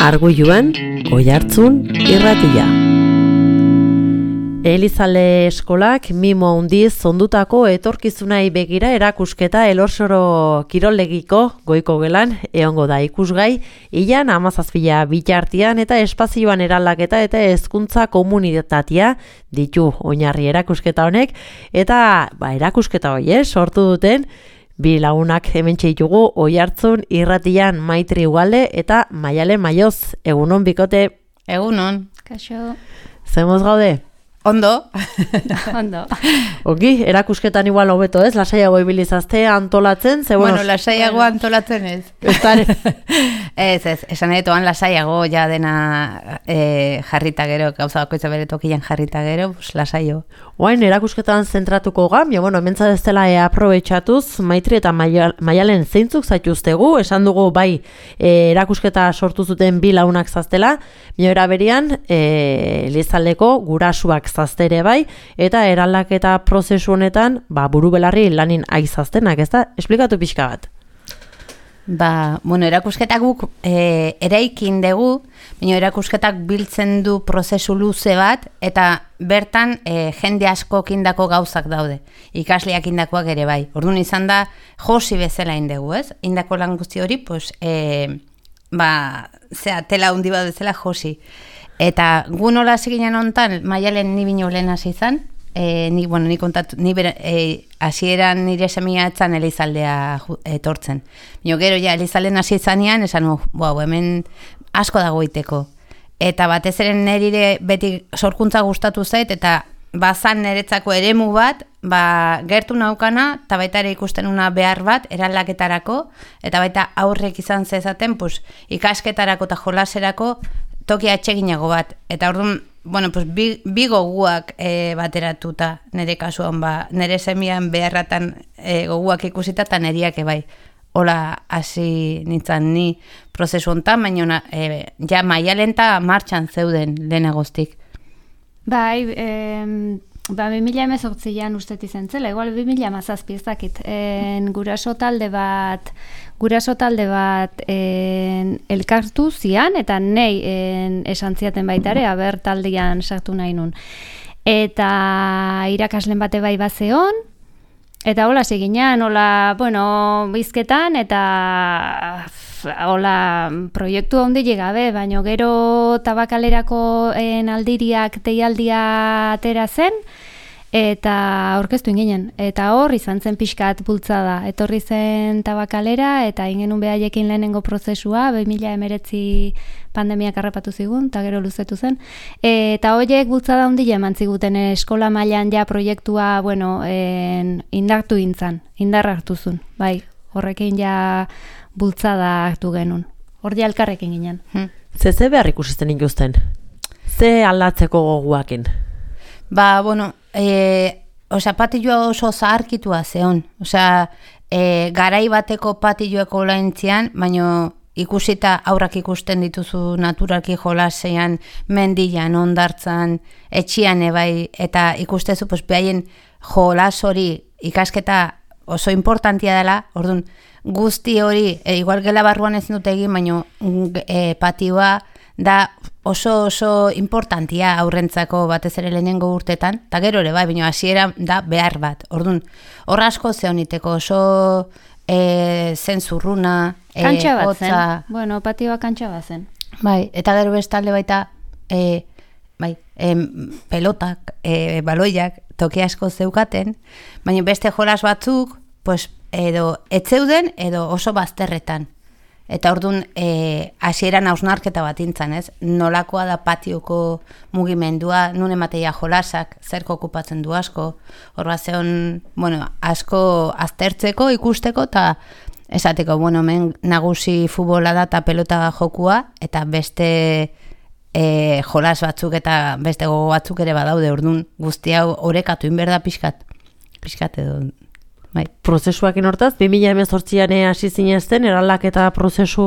Arguiluan, Oihartzun irratia. Elizale eskolak mimo handiz ondutako etorkizunai begira erakusketa Elorsoro kirollegiko goiko gelan egongo da ikusgai, ilan 17 bitartean eta espazioan eraldaketa eta hezkuntza komunitatea ditu oinarri erakusketa honek, eta erakusketa hori sortu duten bi lagunak hementxe ditugu Oihartzun irratian Maitri Ugalde eta Maialen Maioz. Egunon bikote. Egunon. Kaixo. Zemoz gaude? Ondo. Ondo. Oki, erakusketan igual hobeto ez, lasaiago ibilizazte antolatzen, ze bueno, lasaiago antolatzen ez. Ez, esan edetoan lasaiago ja dena jarrita gero, gauza bakoitza bere tokian jarrita gero, pues lasaio. Oain, erakusketan zentratuko gam, bueno, hementza ez dela aprobetxatuz, Maitri eta Maialen zeintzuk zaituztegu, esan dugu bai erakusketa sortu zuten bi launak zaztela, miora berian, Elizaldeko gurasuak zaztere bai, eta eraldaketa prozesu honetan, buru belarri lanin aizaztenak, ez da? Esplikatu pixka bat. Bueno, erakusketak guk eraikin dugu, baina erakusketak biltzen du prozesu luze bat, eta bertan jende asko kindako gauzak daude, ikasleak indakoak ere bai. Orduan izan da, josi bezala indegu, ez? Indako lan guzti hori, pues, tela hundi bat bezala josi. Eta gu nola ziginen hontan, Maialen ni bino lehen hasi izan, ni kontatu, hasieran nire semia etzan Elizaldea etortzen. Bino gero ja Elizalden hasi izanean, esan hemen asko dago iteko. Eta batez ere nire beti sorkuntza gustatu zait, eta bazan niretzako eremu bat, gertu naukana, eta baita ere ikusten una behar bat, eraldaketarako, eta baita aurrek izan zezaten, pues, ikasketarako eta jolaserako toki atseginago bat. Eta orduan, bueno, pues, bi goguak bateratuta nire kasuan, nire semian beharratan goguak ikusita eta niriak bai. Hola, hasi nintzen ni prozesu hontan, baina ja Maialen eta martxan zeuden lehenagoztik. Bai, 2018an ustet izan zela, igual 2017 ez dakit, guraso talde bat elkartu zian, eta nei esan ziaten baitare, aber taldean sartu nahi nun. Eta irakaslen bate bai bazeon, eta hola seginan, hola, bueno, bizketan, eta hola proiektu handi gabe, baino gero tabakalerako aldiriak deialdia atera zen, eta aurkeztu inginen. Eta hor izan zen pixkat bultzada. Etorri zen tabakalera, eta ingenun behaiekin lehenengo prozesua, 2019 pandemiak harrapatu zigun, eta gero luzetu zen. Eta horiek bultzada handia eman ziguten eskola mailan ja proiektua, bueno, indartu gintzan, indar hartu zuen, bai, horrekin ja bultzada hartu genuen. Hor ja elkarrekin ginen. Ze behar ikusisten injuzten? Ze aldatzeko goguakin? Bueno, patilloa oso zaharkitua zeon. Garai bateko patilloeko laintzian, baina ikusita aurrak ikusten dituzu naturalki jolasean, mendian, ondartzan, etxian ebai, eta ikustezu behaien jolas hori ikasketa oso importantia dela, orduan guzti hori, igual gela barruan ez dut egin, baina patioa da oso importantia aurrentzako batez ere lehenengo urtetan, eta gero ere bai, baina hasiera da behar bat. Orduan, hor asko zeoniteko oso zen zurruna, kantxa bat zen. Bueno, patioa kantxa bat zen. Bai, eta gero bestalde baita pelotak, baloiak, toki asko zeukaten, baina beste jolas batzuk, pues, edo etzeuden, edo oso bazterretan. Eta orduan, hasieran hausnarketa bat intzan, ez? Nolakoa da patioko mugimendua, nun emateia jolasak, zerko okupatzen du asko, hor bat zeon, bueno, asko aztertzeko, ikusteko, eta esateko, bueno, hemen nagusi futbola da eta pelota jokua, eta beste jolas batzuk eta beste gogo batzuk ere badaude, orduan guzti hau orekatu inberda pixkat edo. Bai. Prozesuakin hortaz, 2018an hasi zinezten, eraldaketa prozesu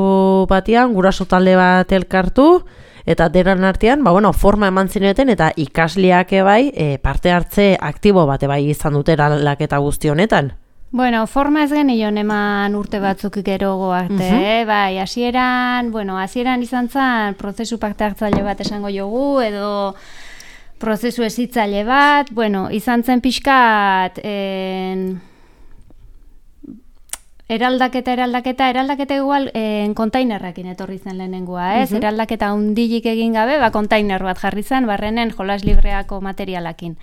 batean, guraso talde bat elkartu, eta denan artean, forma eman zineten, eta ikasleak bai, parte hartze aktibo bate bai izan dute eraldaketa guzti honetan. Bueno, forma ez genion eman urte batzuk gerogo arte, bai, hasieran izan zen prozesu parte hartzaile bat esango jogu, edo prozesu hezitzaile bat, izan zen pixkat eraldaketa igual kontainerrakin etorri zen lehenengoa, ez? Eraldaketa hundilik egin gabe, kontainer bat jarri zen, barrenen jolas libreako materialakin.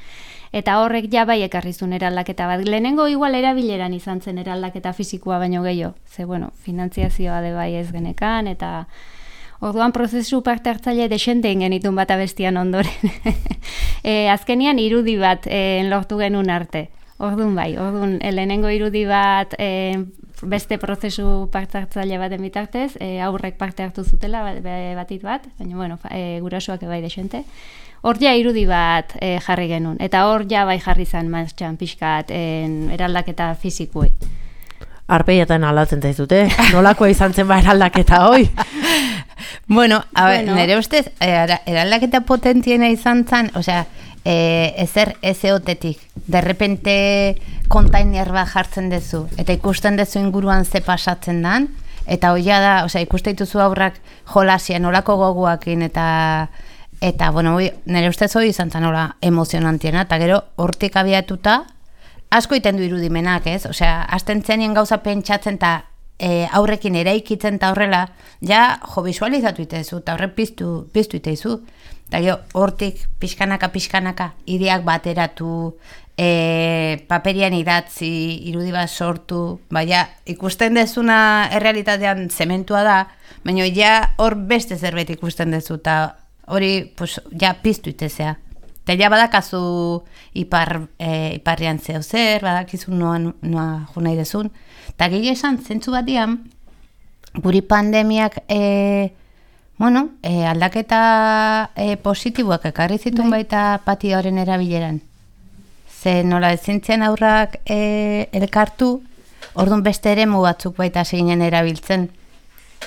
Eta horrek ja bai ekarrizun eraldaketa bat. Lehenengo igual erabileran izan zen eraldaketa fisikoa baino gehiago. Ze, finantziazioa de bai ez genekan, eta orduan prozesu parte hartzaile desentein genitun bat abestian ondoren. Azkenian irudi bat lortu genuen arte. Orduan lehenengo irudi bat beste prozesu parte hartzaile baten bitartez, aurrek parte hartu zutela batit bat, baina gurasoak bai desente. Hor ja irudi bat jarri genuen, eta hor ja bai jarri zen martxan pixkat eraldaketa fizikuei. Arpeietan aldatzen zaizute, nolakoa izan zen eraldaketa hoi? Nire ustez, eraldaketa potentiena izan zen, ezer ezeotetik, derrepente kontainer bat jartzen dezu, eta ikusten dezu inguruan ze pasatzen dan, eta hoia da, ikusten dituzu aurrak jolasien, olako goguakin, eta nire ustez hori izan zen emozionantiena, eta gero hortik abiatuta, asko iten du irudimenak, ez? Azten zenien gauza pentsatzen, eta aurrekin eraikitzen eta horrela, visualizatu itezu, eta horrek piztu itezu. Eta gero, hortik, pixkanaka, ideak bateratu, paperian idatzi, irudi bat sortu, ikusten dezuna errealitatean zementua da, baina hor beste zerbait ikusten dezu, eta hori piztu itezea. Eta badakazu iparrian zeo zer, badakizu noa jo nahi dezun. Eta gehi esan, zentzu batian, guri pandemiak aldaketa positiboak ekarri zituen baita patioaren erabileran. Ze nola ezintzian aurrak elkartu, orduan beste eremu batzuk baita seginen erabiltzen.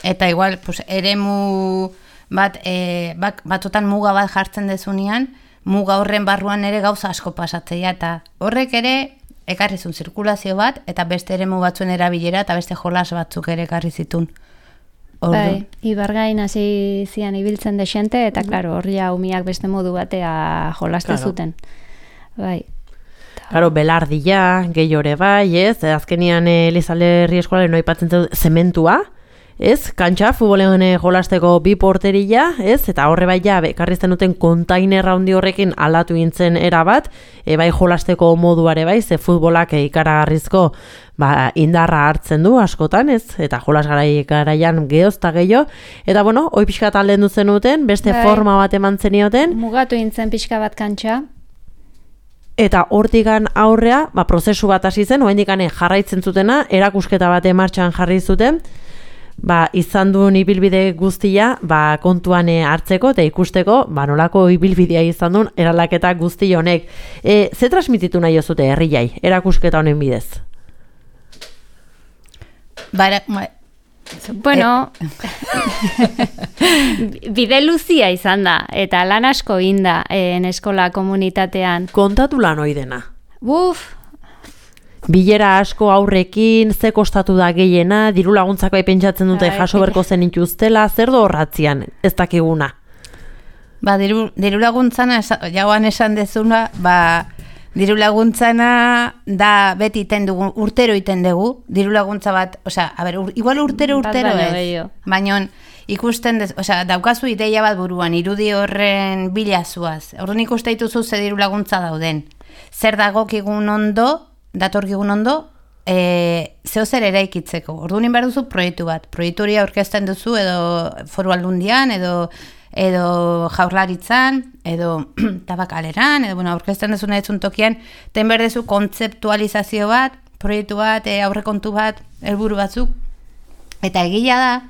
Eta igual, eremu batzutan muga bat jartzen dezunean, muga horren barruan ere gauza asko pasatzea, eta horrek ere ekarrizun zirkulazio bat, eta beste eremu batzuen erabilera, eta beste jolas batzuk ere ekarri zitun. Bai, ibargain hasi zian ibiltzen desente, eta klaro, horria umiak beste modu batea jolaste zuten. Bai. Claro, belardia, gehiore bai, ez? Azkenian Elizalde eskolaren aipatzen dut zementua, ez? Kantxa, futbolean jolasteko 2 porteria, ez? Eta horre bai ekarrizten duten kontainerra handi horrekin aldatu gintzen erabat, bai jolasteko moduare bai, ze futbolak ikaragarrizko indarra hartzen du askotan, ez? Eta jolas garaian geozta gehiago. Eta hoi pixka talden duzen duten, beste forma bat eman zenioten. Mugatu gintzen pixka bat kantxa. Eta hortikan aurrea, prozesu bat hasi zen, oraindik jarraitzen zutena, erakusketa bat martxan jarri zuten, izan duen ibilbide guztia kontuan hartzeko eta ikusteko nolako ibilbidea izan duen eraldaketa guzti honek. Ze transmititu nahi zute herriai, erakusketa honen bidez? Bide luzia izan da, eta lan asko inda eskola komunitatean. Kontatu lan hoi dena. Bilera asko aurrekin, ze kostatu da gehiena, diru laguntzak pentsatzen dute jaso berko zen ituztela, zer do horratzian, ez dakiguna? Diru laguntzana, jauan esan dezuna, diru laguntzana da beti iten dugu, urtero iten dugu, diru laguntza bat, igual urtero ez, baina ikusten, daukazu ideia bat buruan, irudi horren bilazuaz, orduan ikuste dituzu ze diru laguntza dauden, zer dagokigun ondo, datorkigun ondo, zeo zer eraikitzeko. Orduan behar duzu proiektu bat. Proiektu hori aurkezten duzu edo foru aldundian, edo jaurlaritzan, edo tabakaleran, edo aurkezten duzu nahi tokian, ten behar duzu kontzeptualizazio bat, proiektu bat, aurrekontu bat, helburu batzuk. Eta egila da,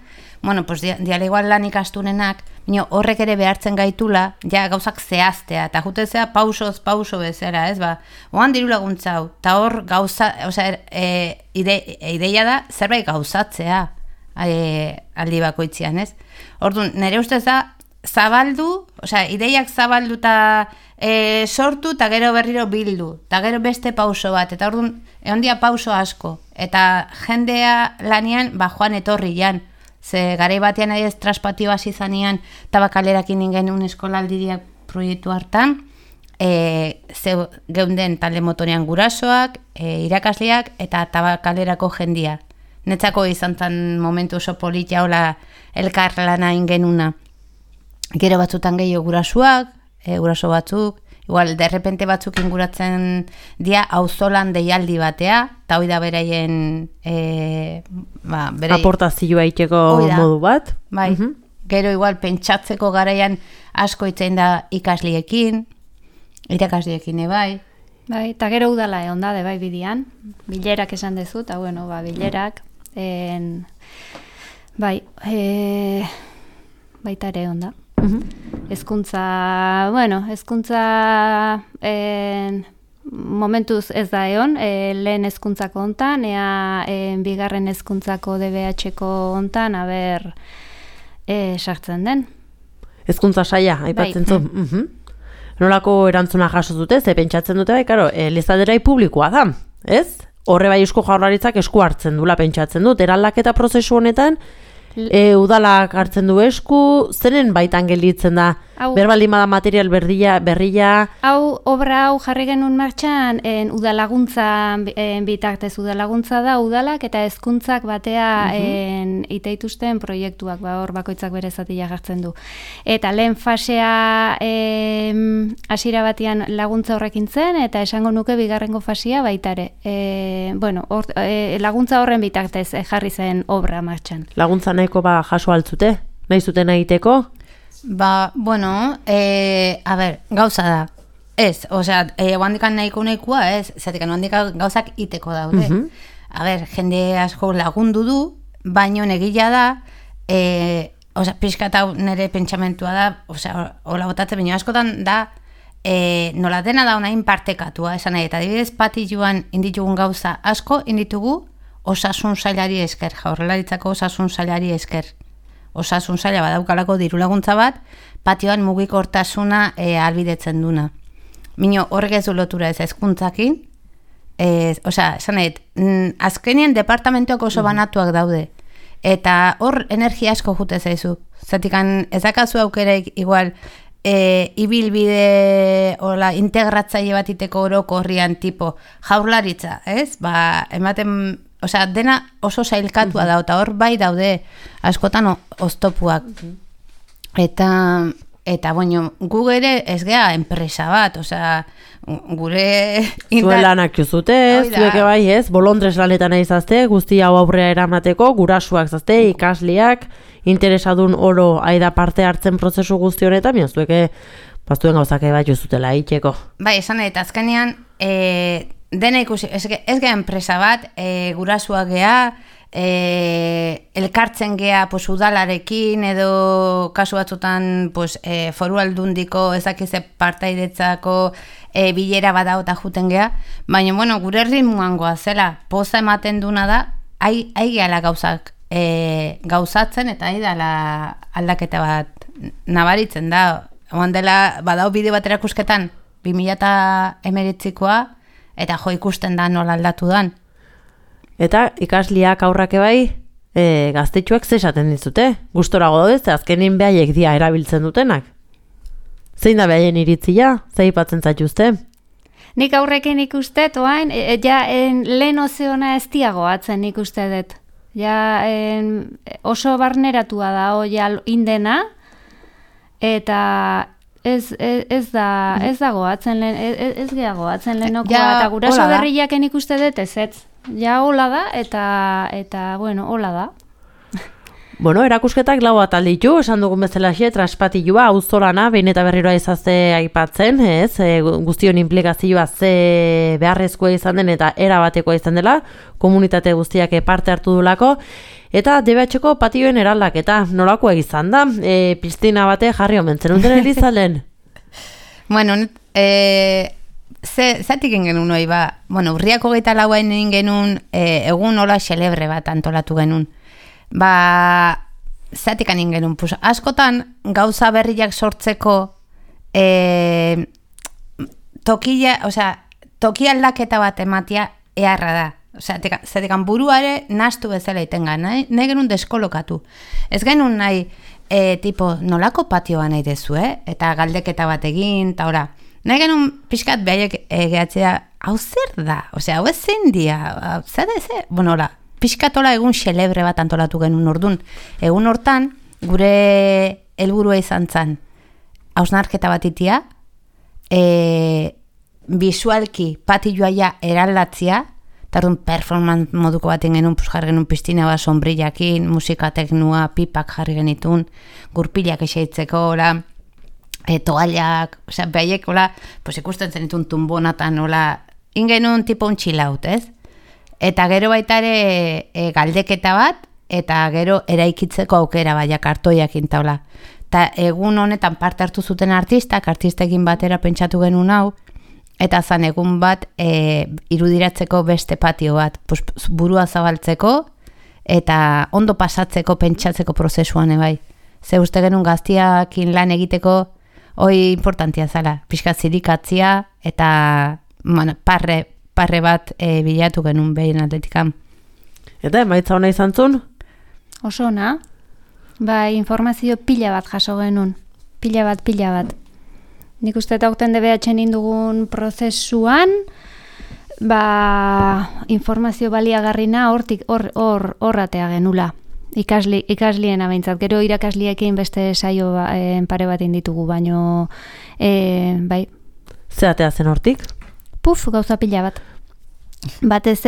dialegoan lan ikastunenak, horrek ere behartzen gaitula, gauzak zehaztea, eta jutezea pauso bezala, ez oan diru laguntza hau, eta hor gauza, ideia da, zerbait gauzatzea aldi bakoitzean, ez? Orduan, nire ustez da, zabaldu, ideiak zabaldu eta sortu, eta gero berriro bildu, eta gero beste pauso bat, eta orduan, egon dia pauso asko, eta jendea lanian, joan etorri jan, ze garai batean ez traspatio hasi zanean, tabakalerakin ingen eskolaldiak proiektu hartan, geunden talde motorean gurasoak, irakasleak, eta tabakalerako jendia. Netzako izan zen momentu oso politia hola elkar lana ingenuna. Gero batzutan gehiago gurasoak, guraso batzuk, igual derrepente batzuk inguratzen dia auzolan deialdi batea, eta hoi da beraien aportazioa iteko modu bat. Bai, gero igual pentsatzeko garaian asko itzen da ikasliekin, irakasleekin bai. Bai, eta gero udala egon da, bai bidian, bilerak esan dezu, eta bilerak, baita ere egon da. Hezkuntza momentuz ez da egon, lehen hezkuntzako hontan, bigarren hezkuntzako DBH-ko hontan, sartzen den. Hezkuntza saia, aipatzen zu. Nolako erantzuna jaso dute, ze pentsatzen dute, Elizaderai publikoa da, ez? Horre bai Eusko Jaurlaritzak esku hartzen dula pentsatzen dut, eraldaketa prozesu honetan, udalak hartzen du esku, zeren baitan gelditzen da, berbaldin bada material berria. Obra hau jarri genuen martxan, udalaguntza bitartez udalaguntza da, udalak eta hezkuntzak batea iteituzten proiektuak, hor bakoitzak bere zatia jartzen du. Eta lehen fasea hasiera batean laguntza horrekin zen, eta esango nuke bigarrengo fasea baitare. Laguntza horren bitartez jarri zen obra martxan. Laguntza nahiko jaso altzute? Nahi zuten egiteko? Gauza da. Ez, oandikan nahikoa, ez, zatekan oandikan gauzak iteko daude. Jende asko lagundu du, baino negila da, pixkat hau nire pentsamentua da, hola botatze, baino askotan da, nola dena da onain partekatua, esan nahi, eta adibidez pati joan inditugun gauza asko, inditugu osasun sailari esker, Jaurlaritzako osasun sailari esker. Osasun saila badaukalako diru laguntza bat, patioan mugikortasuna albidetzen duna. Mino horrek ez du lotura ez hezkuntzakin, azkenien departamentuak oso banatuak daude, eta hor energia asko jute zaizu. Zatikan ez dakazu aukereik igual ibilbide integratzaile bat iteko oroko horrian tipo Jaurlaritza, ez? Ematen dena oso sailkatua da, eta hor bai daude askotan oztopuak. Eta gu ere ez gea enpresa bat, gure... Zuen lanak juzute, zueke bai ez, bolondrez lanetan aizazte, guzti hau aurrea eramateko, gurasuak zazte, ikasliak, interesadun oro aida parte hartzen prozesu guzti honetan, mian zueke baztuen gauzake bat juzutela itxeko. Bai, esan eta azkenean, dena ikusi, ez gea enpresa bat, gurasuak gea, elkartzen gea udalarekin edo kasu batzutan foru aldundiko ezakize partaidetzako bilera badao eta juten gea, baina gure ritmoan goazela poza ematen duna da, gehala gauzak gauzatzen eta dela aldaketa bat nabaritzen da. Oan dela badao bideo bat erakusketan 2019koa eta jo ikusten da nola aldatu dan. Eta ikasliak aurrake bai, gaztetxuak zesaten dizute. Gustorago daudez, azkenin behaiek dia erabiltzen dutenak. Zein da behaien iritzia? Zeipatzen zaituzte? Nik aurrekin ikuste, toain, lehen ozeona ez diagoatzen ikuste dut. Oso barneratua da, indena, eta ez dagoatzen ez geagoatzen lehenokoa, eta guraso berriaken ikuste dut ez. Hola da, eta hola da. Erakusketak lau atal ditu, esan dugun bezalaxe, traspatilua, auzolana, behin eta berriro izazte aipatzen, ez? Guztion implikazioa ze beharrezkoa izan den eta erabatekoa izan dela, komunitate guztiak parte hartu dulako, eta DBH-ko patioen eraldaketa, nolako izan da? Piztina bate jarri omentzen duten Elizalden? Zatik genuen hori ba, urriak 24 genuen egun hola xelebre bat antolatu genuen. zatik anin genuen, pues, askotan gauza berriak sortzeko toki aldaketa bat ematia eharra da. Zatekan buruare nastu bezala itenga, nahi genuen deskolokatu. Ez genuen nahi, tipo, nolako patioa nahi dezu, eta galdeketa bat egin, eta ora, nahi genuen pixkat behaiek gehatzea, hau zer da? Hau ez zein dia? Bueno, ora, pixkatola egun xelebre bat antolatu genuen ordun. Egun hortan, gure helburua izan zan, hausnarketa bat itia, visualki patioa eraldatzia, eta orduan performance moduko baten genuen, jarri genuen piztina bat, sombrillakin, musika teknua, pipak jarri genitun, gurpilak eseitzeko, toallak, behaiek, ikusten zenitun tumbonatan, ingenun tipo un chill out, ez? Eta gero baita ere galdeketa bat, eta gero eraikitzeko aukera baiak hartoiak intaula. Eta egun honetan parte hartu zuten artistekin batera pentsatu genuen hau, eta zan egun bat irudiratzeko beste patio bat, burua zabaltzeko, eta ondo pasatzeko, pentsatzeko prozesuan ebai. Ze uste genuen gaztiakin lan egiteko, hoi importantia zala, pixka zirikatzia, eta parre bat bilatu genuen behin atletikan. Eta emaitza hona izan zun? Oso ona, informazio pila bat jaso genuen, pila bat. Nik uste eta okten DBH indugun prozesuan, informazio baliagarrina horratea genula. Ikaslien abeintzat. Gero irakasliekin beste saio pare bat inditugu, baino, bai. Zeratea zen hortik? Gauza pila bat. Batez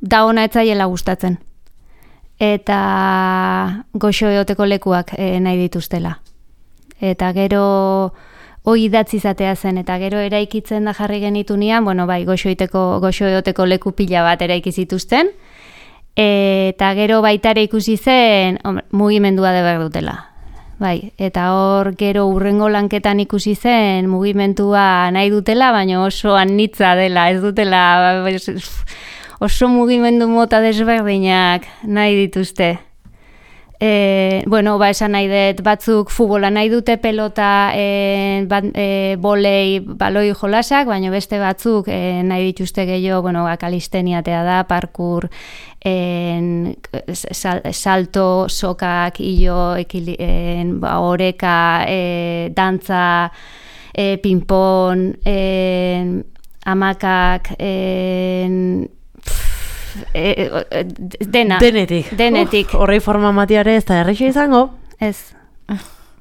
da ona etzaiela gustatzen. Eta goxo eoteko lekuak nahi dituztela. Eta gero hoi idatzi izatea zen, eta gero eraikitzen da jarri genitunean, goxo eoteko leku pila bat eraiki zituzten, eta gero baitare ikusi zen mugimendua de behar dutela. Eta hor gero urrengo lanketan ikusi zen mugimendua nahi dutela, baina oso anitza dela, ez dutela oso mugimendu mota desberdinak nahi dituzte. Esan nahi dut, batzuk futbola nahi dute pelota, bolei, baloi jolasak, baina beste batzuk nahi dituzte gehiago, kalisteniatea da, parkur, salto, sokak, hilo, oreka, dantza, ping-pong, hamakak, denetik. Horrei forma matiare ez da erreixa izango? Ez.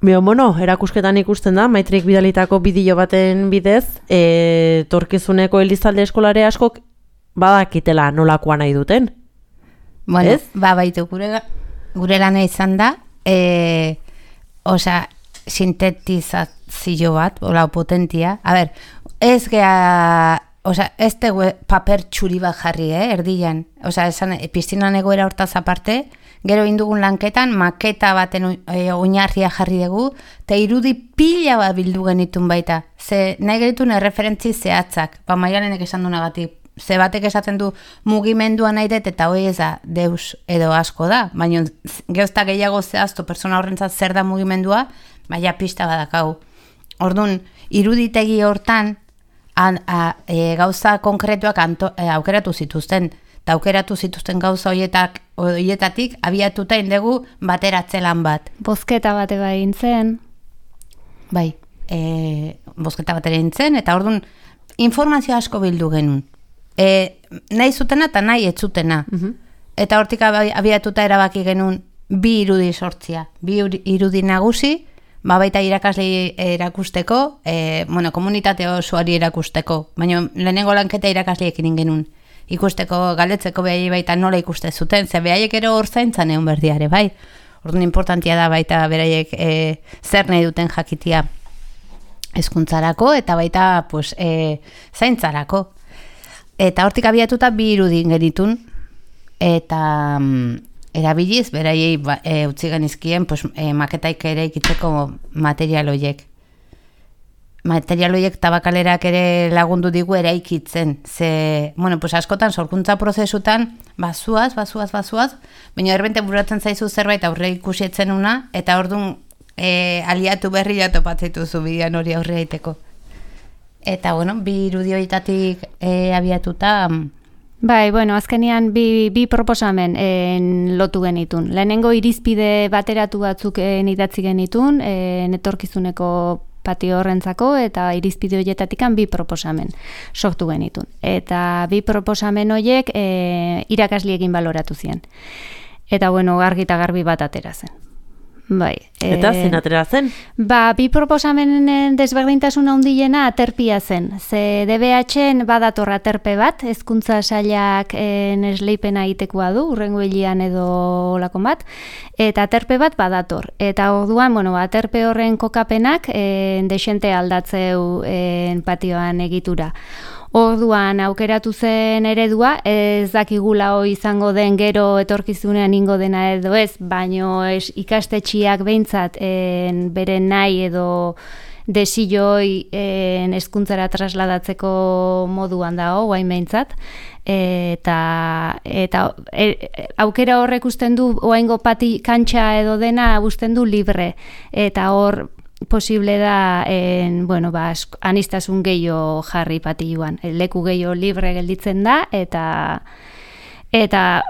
Erakusketan ikusten da, Maitrik bidalitako bideo baten bidez, torkizuneko Elizalde eskolare askok badakitela nolakoa nahi duten. Ez? Baitu, gure lana izan da, sintetizazio bat, potentia. Ez gea... ez tegue paper txuri bat jarri, erdian. Piztinan egoera hortaz aparte, gero indugun lanketan, maketa baten oinarria jarri dugu, eta irudi pila bat bildu genitun baita. Ze nahi genitun erreferentzi zehatzak, Maialenek esan du negatik. Ze batek esaten du mugimendua nahi dut, eta hoi ez da deus edo asko da. Baina geozta gehiago zehaztu persona horrentzat zer da mugimendua, baina pista badakau. Orduan, iruditegi hortan, gauza konkretuak aukeratu zituzten, eta aukeratu zituzten gauza horietatik abiatuta indegu bateratzelan bat. Bozketa bate egin zen. Bai, bozketa bat egin zen, eta orduan informazio asko bildu genuen. Nahi zutena eta nahi ez zutena. Eta hortik abiatuta erabaki genuen bi irudi sortzia. Bi irudi nagusi, baita irakasle erakusteko, komunitate osoari erakusteko, baina lehenengo lanketa irakasleekin genuen. Ikusteko, galdetzeko behai baita nola ikuste zuten, ze behaiek ero hor zaintzan egon berdiare, bai. Orduan importantia da baita beraiek zer nahi duten jakitia hezkuntzarako eta baita zaintzarako. Eta hortik abiatuta bi irudi genitun, eta erabiliz, beraiei utzi genizkien maketaik ere ikitzeko material horiek. material horiek tabakalerak ere lagundu digu eraikitzen. Ze, bueno, pues askotan sorkuntza prozesutan bazuaz, baina erbente buratzen zaizu zerbait aurre ikusietzen una, eta orduan aliatu berria topatzituzu bidean hori aurre egiteko. Eta, bueno, bi irudi horietatik abiatuta... Bai, bueno, azkenean bi proposamen lotu genitun. Lehenengo irizpide bateratu batzuk idatzi genitun, etorkizuneko patio horrentzako, eta irizpide horietatikan bi proposamen sortu genitun. Eta bi proposamen horiek irakasliekin baloratu ziren. Eta, bueno, argi eta garbi bat atera zen. Bai. Eta zein atera zen? Bi proposamenen desberdintasun handiena aterpia zen. Ze DBH-en badator aterpe bat, hezkuntza sailak esleipena egitekoa du, hurrengo hilian edo olakon bat, eta aterpe bat badator. Eta orduan, bueno, aterpe horren kokapenak desente aldatzeu patioan egitura. Orduan aukeratu zen eredua, ez dakigula izango den gero etorkizunean ingo dena edo ez, baino ikastetxiak behintzat beren nahi edo desilloi hezkuntzara trasladatzeko moduan dago, guain behintzat, eta aukera horrek usten du, oaingo kantxa edo dena usten du libre, eta hor posible da anistasun gehiago jarri patiluan. Leku gehiago libre gelditzen da eta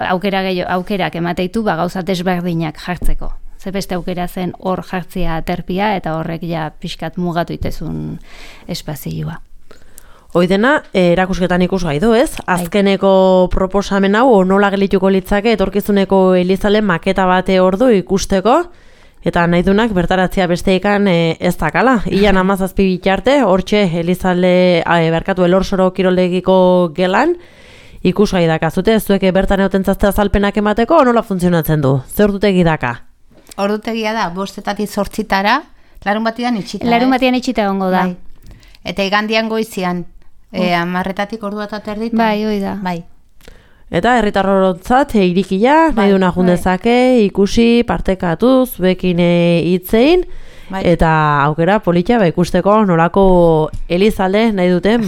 aukerak emateitu gauza desberdinak jartzeko. Ze beste aukera zen hor jartzea aterpia eta horrek ja pixkat mugatu itezun espazioa. Hoi dena, erakusketan ikusgai du, ez? Azkeneko proposamen hau nola gelituko litzake etorkizuneko elizale maketa bate ordu ikusteko, eta nahi dunak bertaratzea besteekan ez dakala. Ian 17 bitarte, hortxe elizale Elorsoro kiroldegiko gelan, ikusgai dakazute, zuek bertan egotentzazte azalpenak emateko, nola funtzionatzen du? Ze ordutegi daka? Ordutegia da, 5-etatik 8-tara, larun batian itxita. Larun batian itxita egongo da. Bai. Eta igandian goizian, 10-etatik ordua eta terditan. Bai, hoi da. Bai. Eta herritarrotzat irikia, nahi duna jundezake, ikusi, partekatuz, bekin hitzein, eta aukera politia ikusteko nolako elizalde nahi duten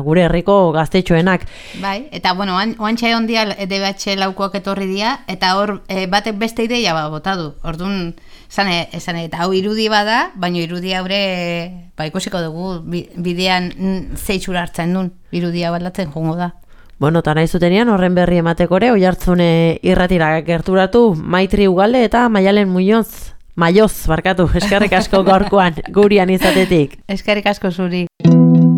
gure herriko gaztetxoenak. Bai, eta bueno, oantxe ondia DBH laukoak etorri dira, eta hor batek beste ideia bota du. Orduan, esan eta hau irudi bada, baina irudi haure ikusiko dugu bidean zeitxura hartzen duen, irudia baldatzen jongo da. Bueno, eta nahi zutenean horren berri emateko ere, Oiartzune irratira gerturatu, Maitri Ugalde eta Maialen Maioz, eskerrik asko gaurkoan gurian izatetik. Eskerrik asko zuri.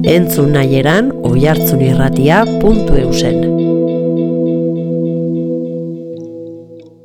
Entzun nahieran oiartzunirratia.eusen.